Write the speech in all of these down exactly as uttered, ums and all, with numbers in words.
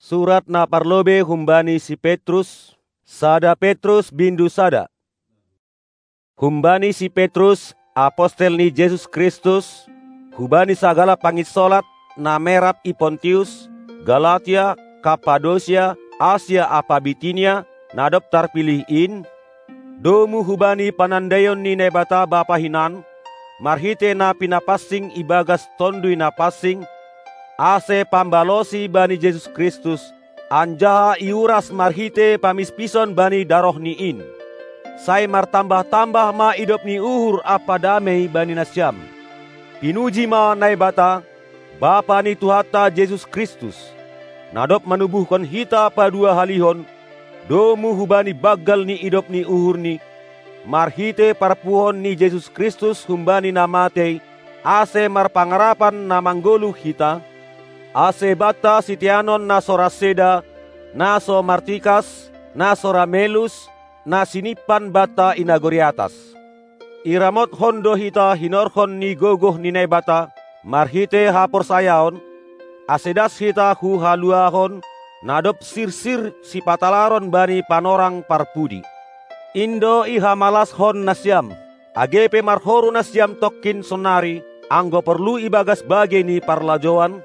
Surat na parlobei humbani si Petrus, sada Petrus bindu sada. Humbani si Petrus, apostel ni Jesus Kristus, hubani sagala panginsolat na merap i Pontius, Galatia, Kapadosia, Asia ampa Bitinia, na dob tarpilih in, domu hubani panandaion ni Naibata Bapa hinan, marhitei na pinapansing ibagas Tonduy Na Pansing, ase pambalosi bani Jesus Kristus, anjaha iuras marhitei pamispison bani darohNi in. Sai martambah-tambah ma idop ni uhur ampa damei bani nasiam. Pinuji ma Naibata, Bapa ni Tuhanta Jesus Kristus, na dob manubuhkon hita paduahalihon, domu hubani banggal ni idop ni uhurNi, marhitei parpuhoon ni Jesus Kristus humbani na matei, ase marpangarapan na manggoluh hita, ase banta siteanon na so ras seda, na so martikas, na so ra melus, na sinimpan banta i nagori atas. Iramotkon do hita hinorhon ni gogoh ni Naibata marhitei haporsayaon, ase das hita hu haluahon, na dob sirsir sipatalaron bani panorang parpudi. In do ihamalashon nasiam, age pe marhoru nasiam tongkin sonari, anggo porlu ibagas bagei ni parlajouan,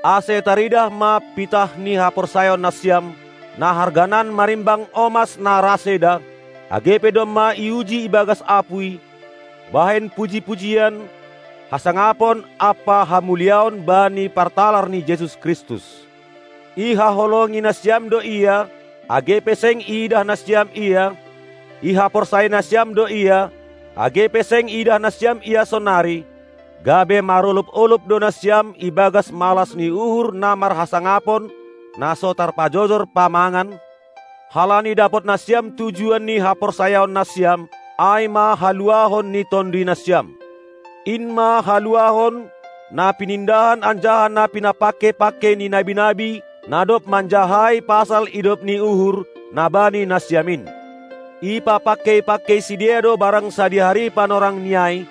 ase taridah ma pitah ni haporsayaon nasiam, na harganan marimbang omas na ras seda, age pe domma iuji ibagas apuy, bahen puji-pujian, hasangapon ampa hamuliaon bani partalar ni Jesus Kristus. Ihaholongi nasiam do Ia, age pe seng iidah nasiam Ia, ihaporsayai nasiam do Ia, age pe seng iidah nasiam Ia sonari, gabe marolop-olop do nasiam ibagas malas ni uhur na marhasangapon, na so tarpajojor pamangan, halani dapot nasiam tujuan ni haporsayaon nasiam, ai ma haluahon ni tonduy nasiam. In ma haluahon, na pinindahan anjaha na pinapangkei-pangkei ni nabi-nabi, na dob manjahai pasal idop ni uhur, na bani nasiam in. Ipapangkei-pangkei sidea do barang sadihari panorangni ai,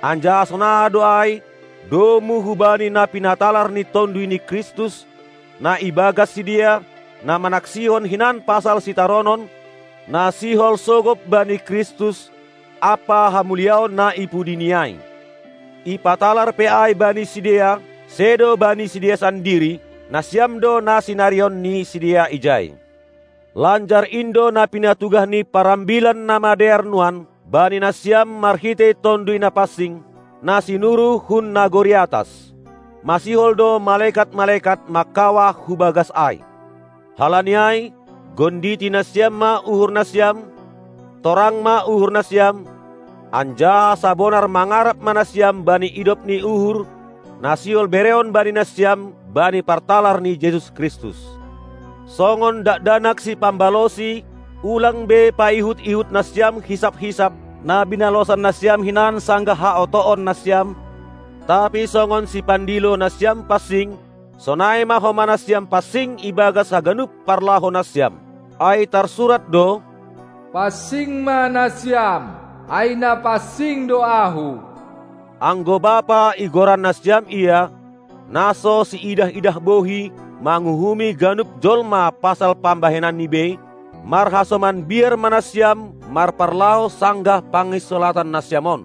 anjaha sonaha do ai, domu hubani na pinatalar ni Tonduy ni Kristus, na ibagas sidea, na manaksihon hinan pasal sitaronon, na sihol sogop bani Kristus, ampa hamuliaon na i pudini ai. Ipatalar pe ai bani sidea, sedo bani sidea sandiri, nasiam do na sinarihon ni sidea ijai. Lanjar in do na pinatugah ni parambilan na madear nuan bani nasiam marhitei Tonduy Na Pansing, na sinuruh hun nagori atas. Masihol do malekat-malekat mangkawah hu bagas ai. Halani ai, gonditi nasiam ma uhur nasiam, torang ma uhur nasiam, anjaha sabonar mangarap ma nasiam bani idop ni uhur, na sihol berehon bani nasiam bani partalar ni Jesus Kristus. Songon dakdanak sipambalosi, ulang be paihut-ihut nasiam hisap-hisap, na binalosan nasiam hinan sanggah haotoon nasiam, tapi songon sipandilo nasiam pansing, sonai ma homa nasiam pansing ibagas haganup parlahou nasiam. Ai tarsurat do: Pansing ma nasiam, ai na pansing do Ahu. Anggo Bapa igoran nasiam Ia, na so siidah-idah bohi manguhumi ganup jolma pasal pambahenanni bei, marhasoman biar ma nasiam marparlahou sanggah panginsolatan nasiam on.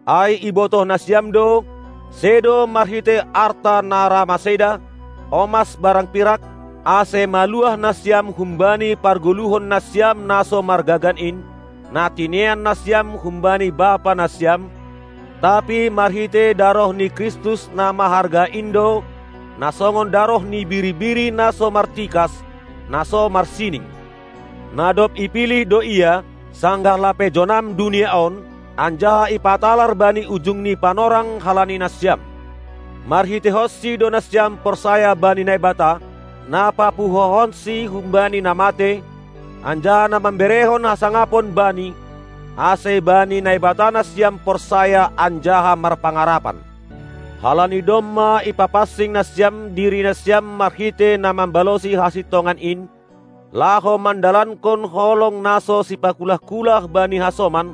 Ai ibotoh nasiam do, sedo marhitei arta na ra maseda, omas barang pirak, ase maluah nasiam humbani pargoluhon nasiam na so margagan in, na tinean nasiam humbani Bapa nasiam, tapi marhitei daroh ni Kristus na maharga in do, na songon daroh ni biri-biri na so martikas, na so marsining. Na dob ipilih do Ia, sanggah lape jonam dunia on, anjaha ipatalar bani ujung ni panorang halani nasiam. MarhiteihonSi do nasiam porsaya bani Naibata, na papuhohonSi humbani na matei, anjaha na mamberehon hasangapon Bani, ase bani Naibata nasiam porsaya anjaha marpangarapan. Halani domma ipapansing nasiam diri nasiam marhitei na mambalosi hasintongan in, laho mandalankon holong na so sipakulah-kulah bani hasoman,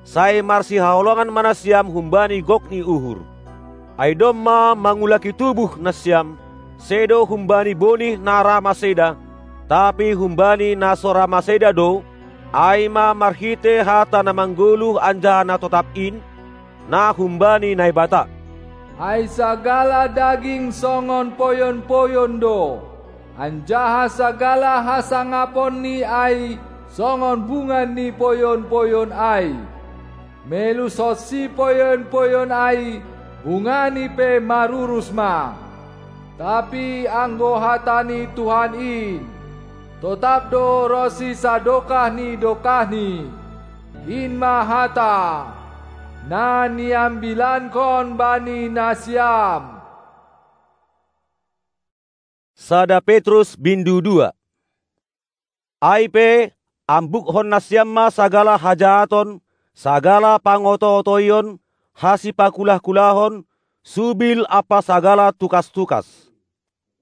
sai marsihaholongan ma nasiam humbani gok ni uhur. Ai domma mangulaki tubuh nasiam, sedo humbani bonih na ra maseda, tapi humbani na so ra maseda do, ai ma marhitei hata na manggoluh anjaha na totap in, na humbani Naibata. Ai sagala daging songon poyon-poyon do, anjaha sagala hasangaponni ai songon bunga ni poyon-poyon ai. Melushonsi poyon-poyon ai, bungani pe marurus ma. Tapi anggo hata ni Tuhan in, totap do ronsi sadokah ni dokahni. In ma hata, na niambilankon bani nasiam. Sada Petrus bindu dua. Ai pe, ambukkon nasiam ma sagala hajahaton, sagala pangoto-otoion, hasipakulah-kulahon, subil ampa sagala tukas-tukas.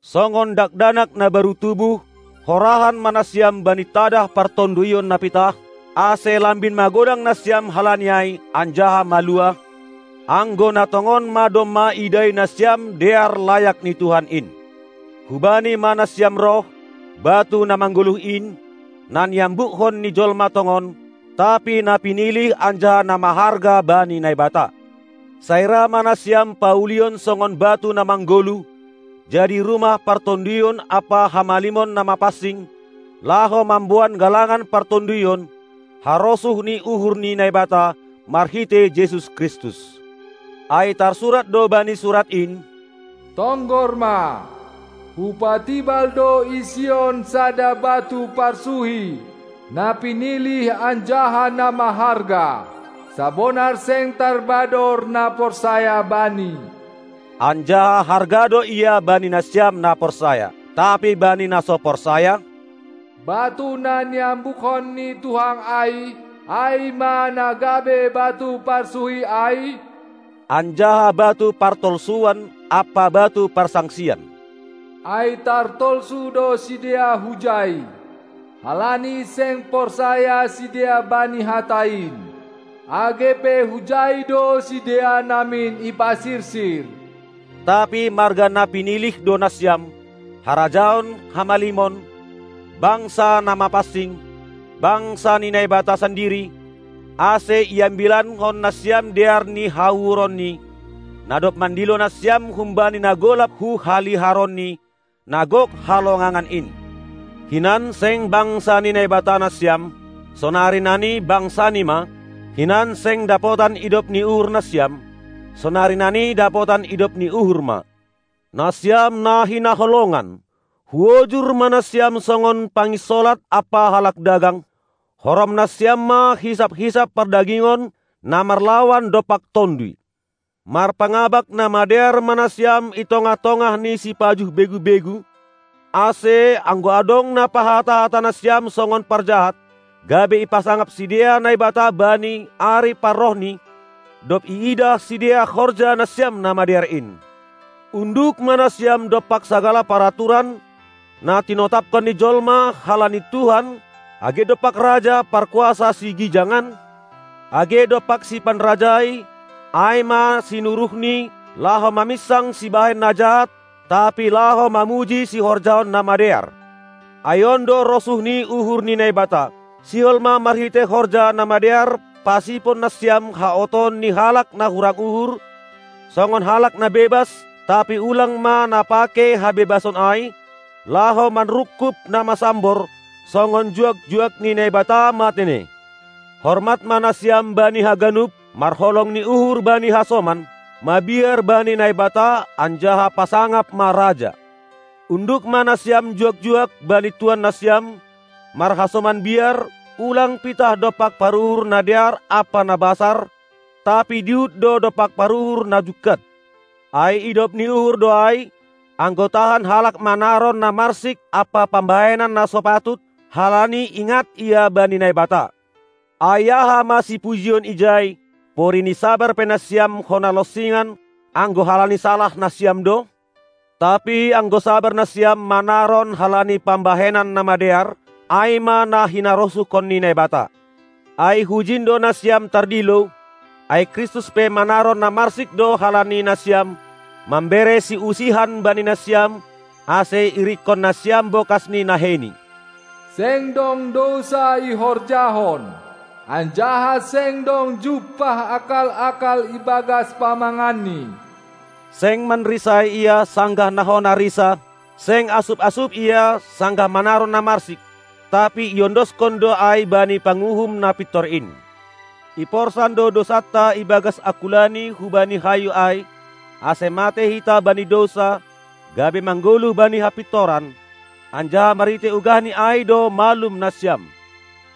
Songon dakdanak na baru tubuh, horahan ma nasiam bani tadah partonduion na pitah, ase lambin magodang nasiam halani ai anjaha maluah, anggo na tongon ma domma idai nasiam dear layak ni Tuhan in. Hubani ma nasiam roh, batu na manggoluh in, na niambukkon ni jolma tongon, tapi na pinilih anjaha na maharga bani Naibata. Sai ra ma nasiam paulihon songon batu na manggoluh, jadi rumah partonduion ampa hamalimon na mapansing, laho mamboan galangan partonduion, harosuh ni uhur ni Naibata marhitei Jesus Kristus. Ai tarsurat do bani surat in: Tonggor ma, hupatibal do i Sion sada batu parsuhi, na pinilih anjaha na maharga, sabonar seng tarbador na porsaya Bani. Anjaha harga do Ia bani nasiam na porsaya. Tapi bani na so porsaya, batu na niambukkon ni Tuhan ai, ai ma na gabe batu parsuhi ai, anjaha batu partolsuan ampa batu parsangsian. Ai tartolsu do sidea hujai, halani seng porsaya sidea bani hata in. Age pe hujai do sidea namin ipasirsir. Tapi marga na pinilih do nasiam, harajaon, hamalimon, bangsa na mapansing, bangsa ni Naibata sandiri, ase iambilankon nasiam dear ni hauhuronNi, na dob mandilo nasiam humbani na golap hu haliharonNi, na gok halongangan in. Hinan seng bangsa ni Naibata nasiam, sonari nani bangsaNi ma, hinan seng dapotan idop ni uhur nasiam, sonari nani dapotan idop ni uhur ma. Nasiam na hinaholongan, huojur ma nasiam songon panginsolat ampa halak dagang, horom nasiam ma hisap-hisap pardagingon na marlawan dompak Tonduy. Marpangabak na madear ma nasiam i tongah-tongah ni sipajuh begu-begu, ase anggo adong na pahata-hata nasiam songon parjahat, gabe ipasangap sidea Naibata bani ari parrohNi, dob iidah sidea horja nasiam na madear in. Unduk ma nasiam dompak sagala paraturan, na tinotapkon ni jolma halani Tuhan, age dompak raja parkuasa sigijangan, age dompak sipanrajai, ai ma sinuruhni, laho maminsang sibahen na jahat, tapi laho mamuji sihorjahon na madear. Ai on do rosuh ni uhur ni Naibata, sihol ma marhitei horja na madear pasipon nasiam haotoon ni halak na hurang uhur, songon halak na bebas, tapi ulang ma na pake habebason ai, laho manrungkub na masambor, songon juak-juak ni Naibata matene. Hormat ma nasiam bani haganup, marholong ni uhur bani hasoman, mabiar bani Naibata anjaha pasangap ma raja. Unduk ma nasiam juak-juak bani tuan nasiam, marhasoman biar, ulang pitah dompak paruhur na dear ampa na basar, tapi dihut do dompak paruhur na jungkat. Ai idop ni uhur do ai, anggo tahan halak manaron na marsik ampa pambahenan na so patut, halani ingat ia bani Naibata. Ai aha ma sipujion ijai, pori ni sabar pe nasiam hona lonsingan, anggo halani salah nasiam do? Tapi anggo sabar nasiam manaron halani pambahenan na madear, ai ma na hinarosuhkon ni Naibata. Ai hujin do nasiam tardilo, ai Kristus pe manaron na marsik do halani nasiam, mambere siusihan bani nasiam, ase irikkon nasiam bokas ni naheiNi. Seng dong dousa ihorjahon, anjaha seng dong jumpah akal-akal ibagas pamanganNi. Seng manrisai Ia sanggah na hona risa, seng asup-asup Ia sanggah manaron na marsik, tapi iondoskon do ai bani panguhum na pintor in. Iporsan do dousanta ibagas angkulani hubani hayu ai, ase mate hita bani dousa, gabe manggoluh bani hapintoran, anjaha marhitei ugahNi ai do malum nasiam.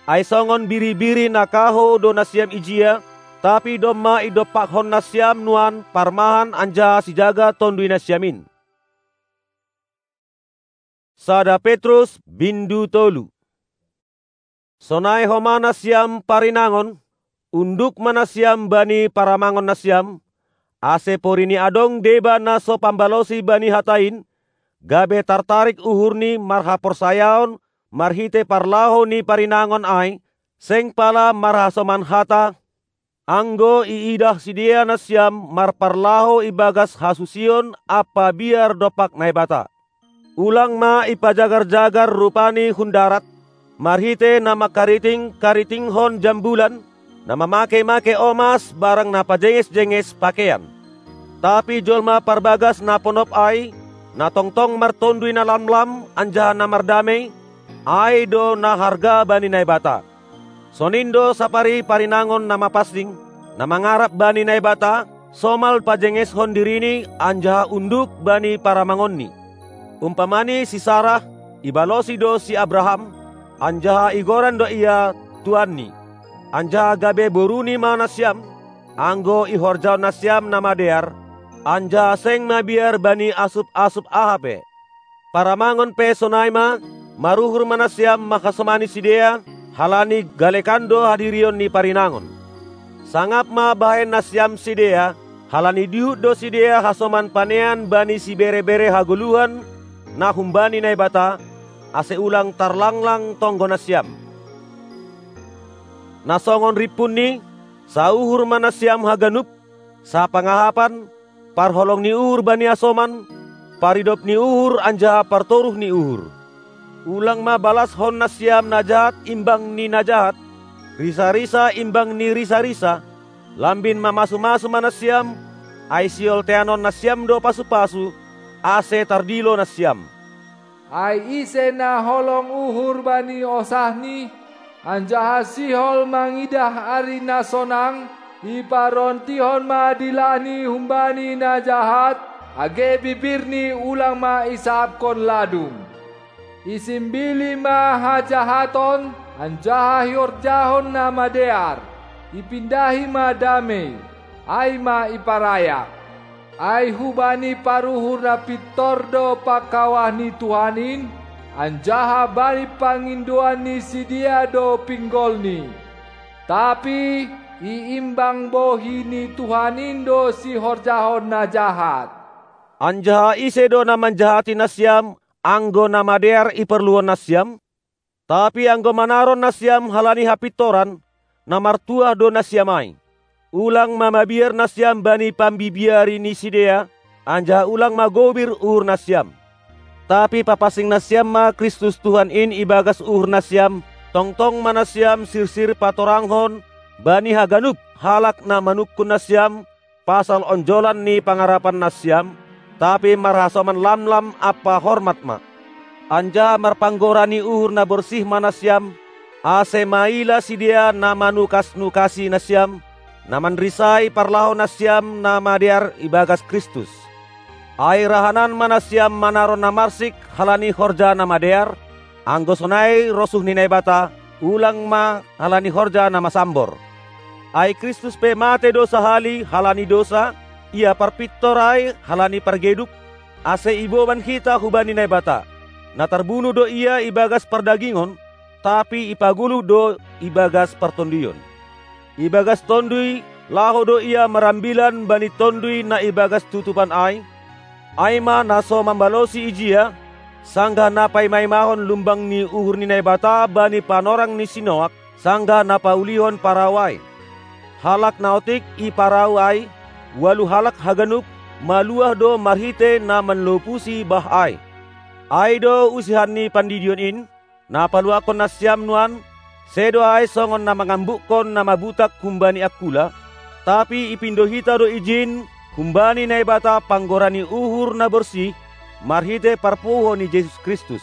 Ai songon biri-biri na kahou do nasiam ijia, tapi domma idompakhon nasiam nuan parmahan anjaha sijaga tonduy nasiam in. Sada Petrus bindu tolu. Sonai homa nasiam parinangon, unduk ma nasiam bani paramangon nasiam, ase porini adong deba na so pambalosi bani hata in, gabe tartarik uhurni marhaporsayaon marhitei parlahou ni parinangon ai, seng pala marhasoman hata, anggo iidah sidea nasiam marparlahou ibagas hasusion ampa biar dompak Naibata. Ulang ma ipajagar-jagar rupani hun darat, marhitei na mangkariting-karitinghon jambulan, na mamake-make omas barang na pajenges-jenges pakeian. Tapi jolma parbagas na ponop ai, na tongtong martonduy na lamlam anjaha na mardamei, ai do na harga bani Naibata. Sonin do sapari parinangon na mapansing, na mangarap bani Naibata, somal pajengeshon dirini anjaha unduk bani paramangonni. Umpamani si Sarah, ibalosi do si Abraham, anjaha igoran do ia tuanni. Anjaha gabe boruni ma nasiam, anggo ihorjahon nasiam na madear, anjaha seng mabiar bani asup-asup aha pe. Paramangon pe sonai ma, maruhur ma nasiam manghasomani sidea, halani galekan do hadirion ni parinangon. Sangap ma bahen nasiam sidea, halani dihut do sidea hasoman panean bani sibere-bere hagoluhan na humbani Naibata, ase ulang tarlanglang tonggo nasiam. Na songon rimpunni, sauhur ma nasiam haganup, sapangahapan, parholong ni uhur bani hasoman, paridop ni uhur anjaha partoruh ni uhur. Ulang ma balashon nasiam na jahat imbang ni na jahat, risa-risa imbang ni risa-risa, lambin mamasu-masu ma nasiam, ai siolteanon nasiam do pasu-pasu, ase tardilo nasiam. Ai ise na holong uhur bani osahni, anjaha sihol mangidah ari na sonang, iparontihon ma dilahni humbani na jahat, age bibirni ulang ma isapkon ladung. Isimbili ma hajahaton, anjaha ihorjahon na madear, ipindahi ma damei, ai ma iparayak. Ai hubani paruhur na pintor do pangkawah ni Tuhan in, anjaha bani pangindoan ni sidea do pinggolni. Tapi iimbang bohi ni Tuhan in do sihorjahon na jahat. Anjaha ise do na manjahati nasiam, anggo na madear iporluhon nasiam? Tapi anggo manaron nasiam halani hapintoran, na martuah do nasiam ai. Ulang ma mabiar nasiam bani pambibiari ni sidea, anjaha ulang ma gobir uhur nasiam. Tapi papansing nasiam ma Kristus Tuhan in ibagas uhur nasiam, tongtong ma nasiam sirsir patoranghon bani haganup halak na manungkun nasiam, pasal onjolan ni pangarapan nasiam, tapi marhasoman lamlam ampa hormat ma. Anjaha marpanggora ni uhur na borsih ma nasiam, ase maila sidea na manukas-nukasi nasiam, na manrisai parlahou nasiam na madear ibagas Kristus. Ai rahanan ma nasiam manaron na marsik halani horja na madear, anggo sonai rosuh ni Naibata, ulang ma halani horja na masambor. Ai Kristus pe mate do sahali halani dousa, ia parpintor ai halani pargeduk, ase iboban hita hubani Naibata. Na tarbunuh do ia ibagas pardagingon, tapi ipagoluh do ibagas partonduyon. Ibagas tonduy, laho do ia marambilan bani tonduy na ibagas tutupan ai, ai ma na so mambalosi ijia, sanggah na paima-imahon lumbang ni uhur ni Naibata bani panorang ni si Noak, sanggah na paulihon parau ai. Halak na otik i parau ai, ualu halak haganup, maluah do marhitei na manlopusi bah ai. Ai do usihan ni pandidion in, na paluahkon nasiam nuan, sedo ai songon na mangambukkon na mabutak humbani angkula, tapi ipindo hita do ijin humbani Naibata panggora ni uhur na borsih, marhitei parpuho ni Jesus Kristus.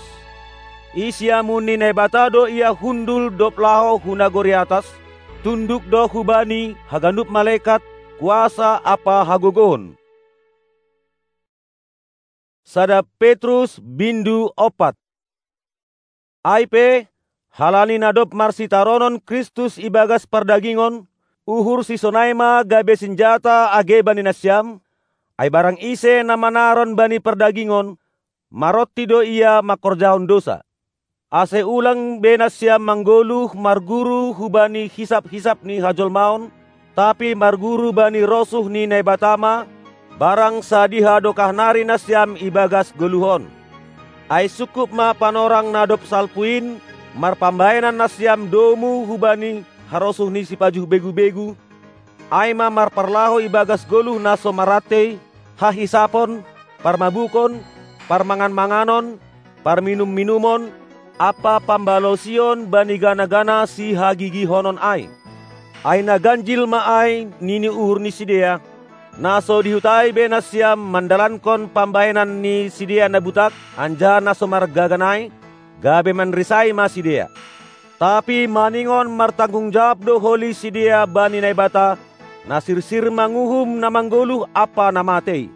I siamun ni Naibata do ia hundul dob laho hu nagori atas, tunduk do hubani haganup malekat, kuasa ampa hagogohon. Sada Petrus bindu opat. Ai pe, halani na dob marsitaronon Kristus ibagas pardagingon, uhur sisonai ma gabe sinjata age bani nasiam, ai barang ise na manaron bani pardagingon, maronti do ia mangkorjahon dousa. Ase ulang be nasiam manggoluh marguru hubani hisap-hisap ni hajolmaon, tapi marguru bani rosuh ni Naibata ma, barang sadiha dokah nari nasiam ibagas goluh on. Ai sungkup ma panorang na dob salpu in marpambahenan nasiam domu hubani harosuh ni sipajuh begu-begu, ai ma marparlahou ibagas goluh na so marantei, hahisapon, parmabukon, parmangan-manganon, parminum-minumon, ampa pambalosion bani gana-gana sihagigihonon ai. Ai na ganjil ma ai nini uhur ni sidea, na so dihutai be nasiam mandalankon pambahenan ni sidea na butak, anjaha na so margagan ai, gabe manrisai ma sidea. Tapi maningon martanggung jawab do holi sidea bani Naibata, na sirsir manguhum na manggoluh ampa na matei.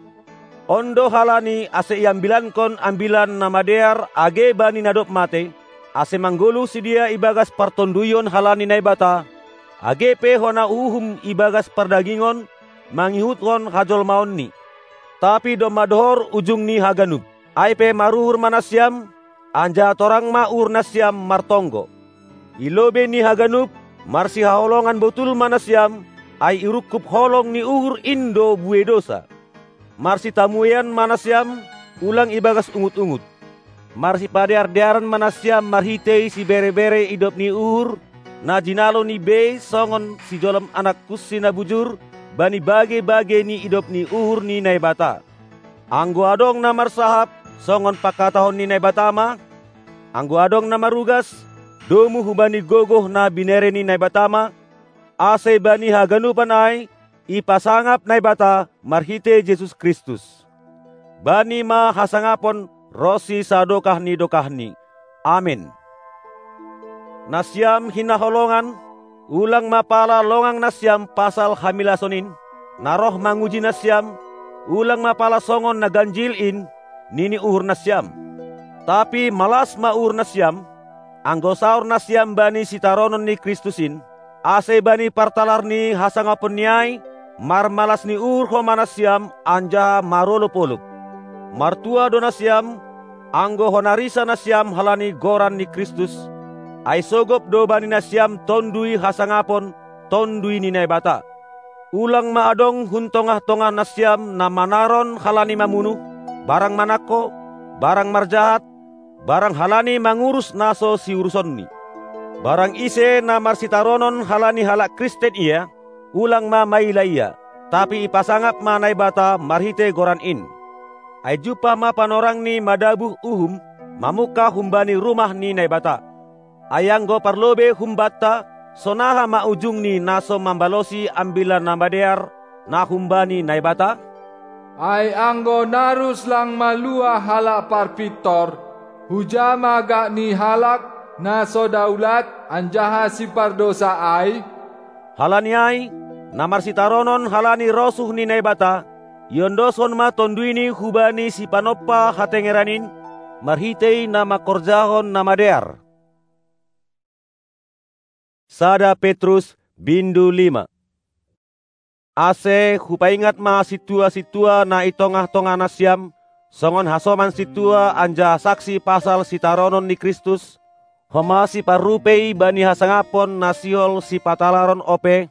On do halani ase iambilankon ambilan na madear age bani na dob matei, ase manggoluh sidea ibagas partonduyon halani Naibata, age pe hona uhum ibagas pardagingon, mangihuthon hajolmaonni. Tapi domma dohor ujung ni haganup. Ai pe maruhur ma nasiam, anjaha torang ma uhur nasiam martonggo. I lobei ni haganup, marsihaholongan botul ma nasiam, ai irungkub holong ni uhur in do buei dousa. Marsitamuean ma nasiam, ulang ibagas ungut-ungut. Marsipadear-dearan ma nasiam marhitei sibere-bere idop ni uhur, na jinalo ni bei songon sijolom anak kunsi na bujur, bani bage-bage ni idop ni uhur ni Naibata. Anggo adong na marsahap songon pangkatahon ni Naibata ma, anggo adong na marugas, domu hubani gogoh na binere ni Naibata ma, ase bani haganupan ai ipasangap Naibata marhitei Jesus Kristus. Bani ma hasangapon ronsi sadokah ni dokahni. Amen. Nasiam hinaholongan, ulang ma pala longang nasiam pasal hamilason in, na roh manguji nasiam, ulang ma pala songon na ganjil in, nini uhur nasiam. Tapi malas ma uhur nasiam, anggo saor nasiam bani sitaronon ni Kristus in, ase bani partalar ni hasangaponni ai, marmalas ni uhur homa nasiam anjaha marolop-olop. Martua do nasiam, anggo hona risa nasiam halani goran ni Kristus, ai sogop do bani nasiam tondui hasangapon, tondui ni Naibata. Ulang ma adong hun tongah-tongah nasiam na manaron halani mamunuh, barang manangko, barang marjahat, barang halani mangurus na so siurusonni. Barang ise na marsitaronon halani halak Kristen ia, ulang ma maila ia, tapi ipasangap ma Naibata marhitei goran in. Ai jumpah ma panorangni madabuh uhum, mamungka humbani rumah ni Naibata. Ai anggo parlobei humbanta, sonaha ma ujungni na so mambalosi Ambilan Namadear na humbani Naibata? Ai anggo narus lang malua halak parpintor, huja ma gak ni halak na so daulat anjaha sipardousa ai? Halani ai, na marsitaronon halani rosuh ni Naibata, iondoshon ma tonduyni hubani sipanompa hatengeran in, marhitei na mangkorjahon na madear. Sada Petrus bindu lima. Ase hupaingat ma sintua-sintua na i tongah-tongah nasiam, songon hasoman sintua anjaha saksi pasal sitaronon ni Kristus, homa siparrupei bani hasangapon na sihol sipatalaron ope,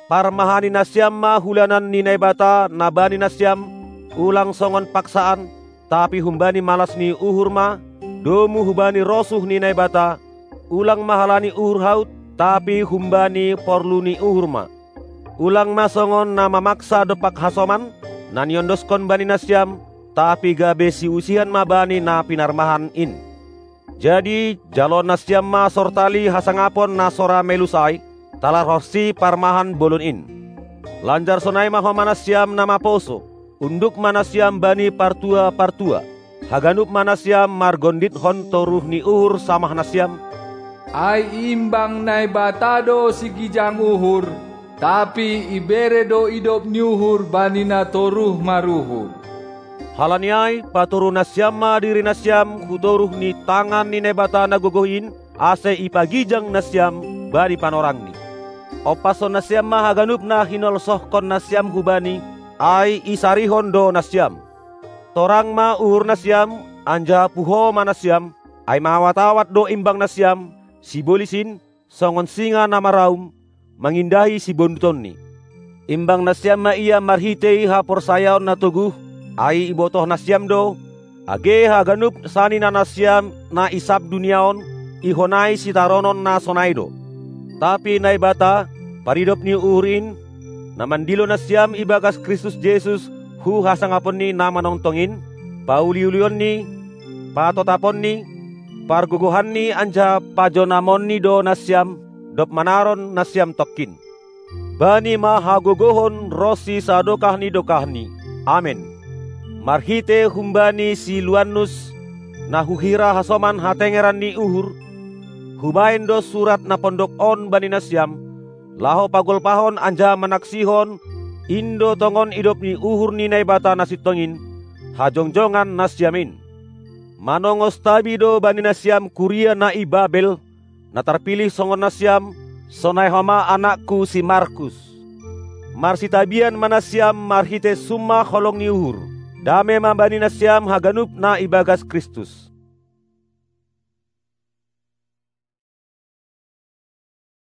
parmahani nasiam ma hulanan ni Naibata na bani nasiam, ulang songon paksaan, tapi humbani malas ni uhur ma, domu hubani rosuh ni Naibata, ulang ma halani uhur haut, tapi humbani porlu ni uhur ma. Ulang ma songon na mamaksa dompak hasoman, na niondoskon bani nasiam, tapi gabe siusihan ma bani na pinarmahan in. Jadi, jalo nasiam ma sortali hasangapon na so ra melus ai, talar horsi parmahan bolon in. Lanjar sonai ma homa nasiam na maposo, unduk ma nasiam bani partua-partua. Haganup ma nasiam margonditkon toruh ni uhur samah nasiam, ai imbang Naibata do sigijang uhur, tapi ibere do idop ni uhur bani na toruh maruhur. Halani ai, patoru nasiam ma diri nasiam hu toruh ni tangan ni Naibata na gogoh in, ase ipagijang nasiam bani panorangni. Ompashon nasiam ma haganup na hinolsohkon nasiam hu Bani, ai isarihon do nasiam. Torang ma uhur nasiam, anjaha puho ma nasiam, ai mawat-awat do imbang nasiam, sibolis in, songon singa na maraum, mangindahi sibondutonni. Imbang nasiam ma ia marhitei haporsayaon na toguh, ai ibotoh nasiam do, age haganup sanina nasiam na i sab dunia on, ihonai sitaronon na sonai do. Tapi Naibata, paridop ni uhur in, na mandilo nasiam ibagas Kristus Jesus hu hasangaponni na manongtong in, pauliulionni, patotaponni, pargogohanni anjaha pajonamonni do nasiam, dob manaron nasiam tongkin. Bani ma hagogohon ronsi sadokah ni dokahni. Amen. Marhitei humbani si Luannus, na huhira hasoman hatengeran ni uhur, hubahen do surat na pondok on bani nasiam, laho pagolpahon anjaha manaksihon, in do tongon idop ni uhur ni Naibata na sintong in, hajongjongan nasiam in. Manongos tabi do bani nasiam kuria na i Babel, na tarpilih songon nasiam, sonai homa anakku si Markus. Marsitabian ma nasiam marhitei sumpah holong ni uhur. Dame ma bani nasiam haganup na ibagas Kristus.